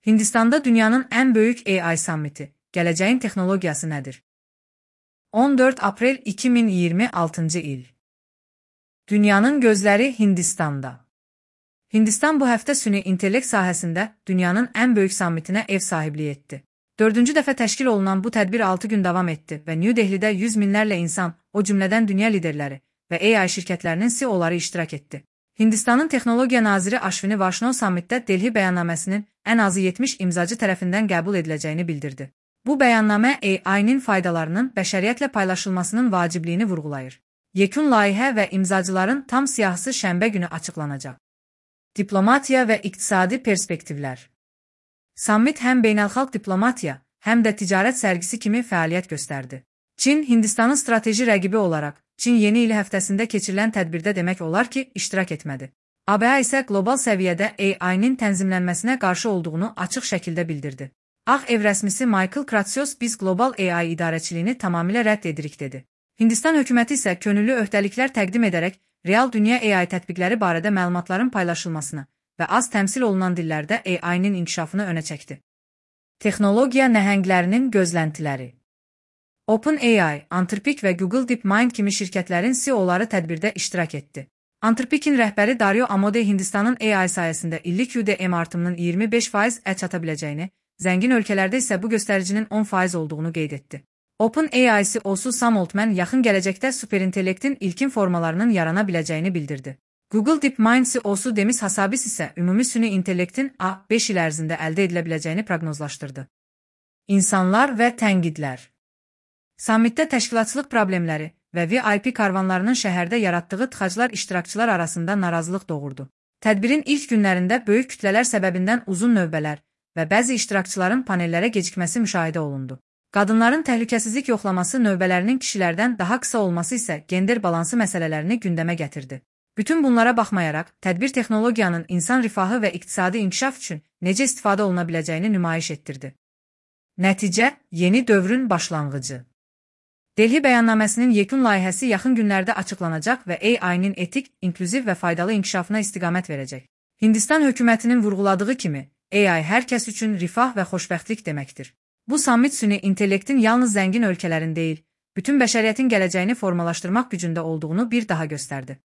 Hindistanda dünyanın ən böyük AI sammiti, gələcəyin texnologiyası nədir? 14 aprel 2026 il. Dünyanın gözləri Hindistanda. Hindistan bu həftə süni intellekt sahəsində dünyanın ən böyük sammitinə ev sahibliyi etdi. 4-cü dəfə təşkil olunan bu tədbir 6 gün davam etdi və New Delhidə 100 minlərlə insan, o cümlədən dünya liderləri və AI şirkətlərinin CEO-ları iştirak etdi. Hindistanın Texnologiya naziri Ashwini Vaishnaw sammitdə Delhi bəyannaməsinin ən azı 70 imzacı tərəfindən qəbul ediləcəyini bildirdi. Bu bəyannamə AI-nin faydalarının bəşəriyyətlə paylaşılmasının vacibliyini vurğulayır. Yekun layihə və imzacıların tam siyahısı şənbə günü açıqlanacaq. Diplomatiya və iqtisadi perspektivlər. Sammit həm beynəlxalq diplomatiya, həm də ticarət sərgisi kimi fəaliyyət göstərdi. Çin, Hindistanın strateji rəqibi olaraq, Çin yeni il həftəsində keçirilən tədbirdə demək olar ki, iştirak etmədi. ABŞ isə qlobal səviyyədə AI-nin tənzimlənməsinə qarşı olduğunu açıq şəkildə bildirdi. Ağ Ev rəsmisi Michael Kratsios biz qlobal AI idarəçiliyini tamamilə rədd edirik dedi. Hindistan hökuməti isə könüllü öhdəliklər təqdim edərək real dünya AI tətbiqləri barədə məlumatların paylaşılmasını və az təmsil olunan dillərdə AI-nin inkişafını önə çəkdi. Texnologiya nəhənglərinin gözləntiləri. OpenAI, Anthropic və Google DeepMind kimi şirkətlərin CEO-ları tədbirdə iştirak etdi. Anthropic'in rəhbəri Dario Amodei Hindistanın AI sayəsində illik UDM artımının 25%-ə çata biləcəyini, zəngin ölkələrdə isə bu göstəricinin 10% olduğunu qeyd etdi. OpenAI CEO-su Sam Altman yaxın gələcəkdə superintellektin ilkin formalarının yarana biləcəyini bildirdi. Google DeepMind CEO-su Demis Hassabis isə ümumi süni intellektin 5 il ərzində əldə edilə biləcəyini proqnozlaşdırdı. İnsanlar və tənqidlər. Sammitdə təşkilatçılıq problemləri və VIP karvanlarının şəhərdə yaratdığı tıxaclar iştirakçılar arasında narazılıq doğurdu. Tədbirin ilk günlərində böyük kütlələr səbəbindən uzun növbələr və bəzi iştirakçıların panellərə gecikməsi müşahidə olundu. Qadınların təhlükəsizlik yoxlaması növbələrinin kişilərdən daha qısa olması isə gender balansı məsələlərini gündəmə gətirdi. Bütün bunlara baxmayaraq, tədbir texnologiyanın insan rifahı və iqtisadi inkişaf üçün necə istifadə oluna biləcəyini nümayiş etdirdi. Nəticə, yeni dövrün başlanğıcı. Delhi bəyannaməsinin yekun layihəsi yaxın günlərdə açıqlanacaq və AI-nin etik, inklüziv və faydalı inkişafına istiqamət verəcək. Hindistan hökumətinin vurğuladığı kimi, AI hər kəs üçün rifah və xoşbəxtlik deməkdir. Bu sammit süni intellektin yalnız zəngin ölkələrin deyil, bütün bəşəriyyətin gələcəyini formalaşdırmaq gücündə olduğunu bir daha göstərdi.